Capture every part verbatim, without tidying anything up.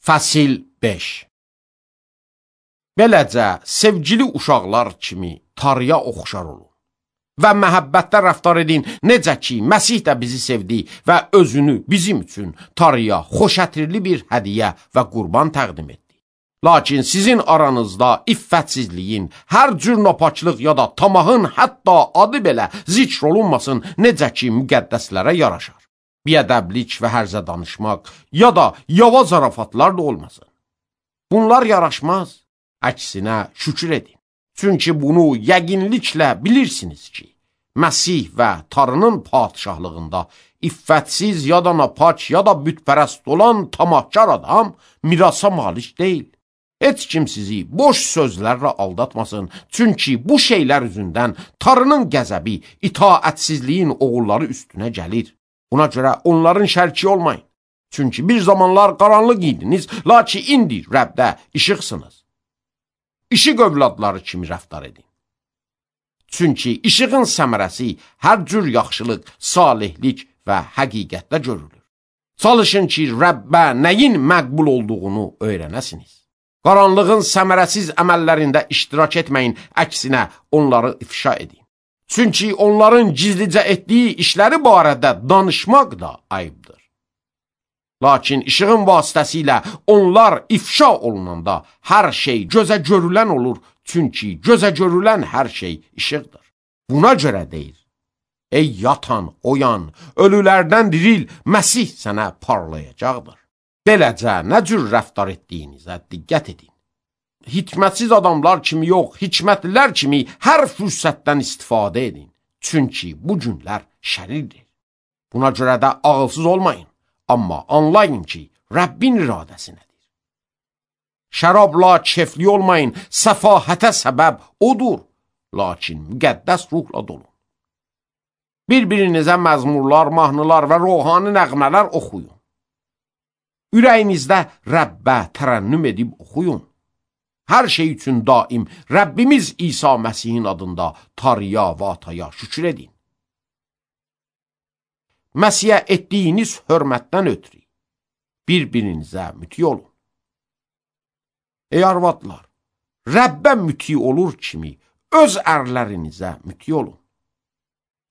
Fəsil beş. Beləcə, sevgili uşaqlar kimi tarıya oxşar olun və məhəbbətdə rəftar edin, necə ki, Məsih də bizi sevdi və özünü bizim üçün tarıya xoşətirli bir hədiyyə və qurban təqdim etdi. Lakin sizin aranızda iffətsizliyin, hər cür napaklıq ya da tamahın hətta adı belə zikr olunmasın, necə ki, müqəddəslərə yaraşar. Biədəblik və hərzə danışmaq ya da yava zarafatlar da olmasın. Bunlar yaraşmaz. Əksinə şükür edin. Çünki bunu yəqinliklə bilirsiniz ki, Məsih və tarının padişahlığında iffətsiz ya da napak ya da bütpərəst olan tamahkar adam mirasa malik deyil. Heç kim sizi boş sözlərlə aldatmasın. Çünki bu şeylər üzündən tarının qəzəbi, itaətsizliyin oğulları üstünə gəlir. Buna görə onların şərki olmayın. Çünki bir zamanlar qaranlıq idiniz, lakin indi Rəbdə işıqsınız. İşıq övladları kimi rəftar edin. Çünki işığın səmərəsi hər cür yaxşılıq, salihlik və həqiqətdə görülür. Çalışın ki, Rəbbə nəyin məqbul olduğunu öyrənəsiniz. Qaranlığın səmərəsiz əməllərində iştirak etməyin, əksinə onları ifşa edin. Çünki onların gizlicə etdiyi işləri barədə danışmaq da ayıbdır. Lakin işığın vasitəsilə onlar ifşa olunanda hər şey gözə görülən olur, çünki gözə görülən hər şey işıqdır. Buna görə deyir, ey yatan, oyan, ölülərdən diril, Məsih sənə parlayacaqdır. Beləcə, nə cür rəftar etdiyinizə diqqət edin. Hikmətsiz adamlar kimi yox, hikmətlilər kimi hər fürsətdən istifadə edin. Çünki bu günlər şərirdir. Buna görə də ağılsız olmayın. Amma anlayın ki, Rəbbin iradəsi nədir. Şərabla kefli olmayın, səfahətə səbəb odur. Lakin müqəddəs ruhla dolun. Bir-birinizə məzmurlar, mahnılar və ruhani nəğmələr oxuyun. Ürəyinizdə Rəbbə tərənnüm edib oxuyun. Hər şey üçün daim Rəbbimiz İsa Məsihin adında tarıya və ataya şükür edin. Məsihə etdiyiniz hörmətdən ötürü bir-birinizə müti olun. Ey arvadlar, Rəbbə müti olur kimi öz ərlərinizə müti olun.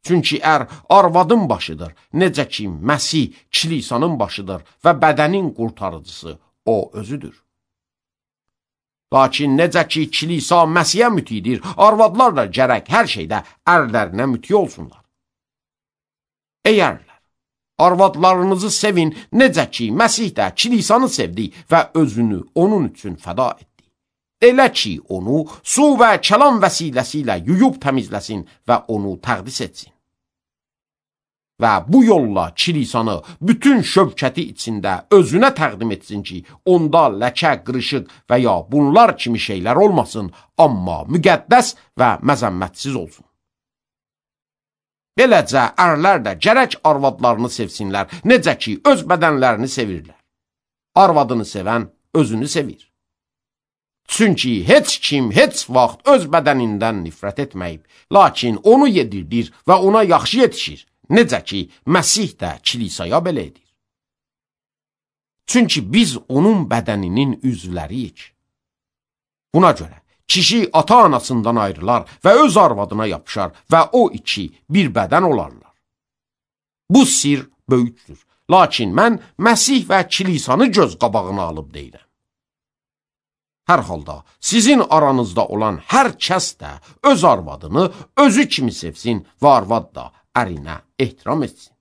Çünki ər arvadın başıdır, necə ki Məsih kilisanın başıdır və bədənin qurtarıcısı o özüdür. Lakin necə ki kilisa Məsihə mütidir, arvadlar da gərək hər şeydə ərlərinə müti olsunlar. Ey ərlər, arvadlarınızı sevin, necə ki Məsih də kilisanı sevdi və özünü onun üçün fəda etdi. Elə ki onu su və kəlam vəsiləsi ilə yuyub təmizləsin və onu təqdis etsin. Və bu yolla kilisanı bütün şövkəti içində özünə təqdim etsin ki, onda ləkə, qırışıq və ya bunlar kimi şeylər olmasın, amma müqəddəs və məzəmmətsiz olsun. Beləcə, ərlər də gərək arvadlarını sevsinlər, necə ki öz bədənlərini sevirlər. Arvadını sevən özünü sevir. Çünki heç kim heç vaxt öz bədənindən nifrət etməyib, lakin onu yedirdir və ona yaxşı yetişir. Necə ki, Məsih də kilisaya belə edir. Çünki biz onun bədəninin üzvləriyik. Buna görə, kişi ata-anasından ayrılar və öz arvadına yapışar və o iki bir bədən olarlar. Bu sir böyükdür. Lakin mən Məsih və kilisanı göz qabağına alıb deyirəm. Hər halda sizin aranızda olan hər kəs də öz arvadını özü kimi sevsin və arvad da ərinə ehtiram etsin.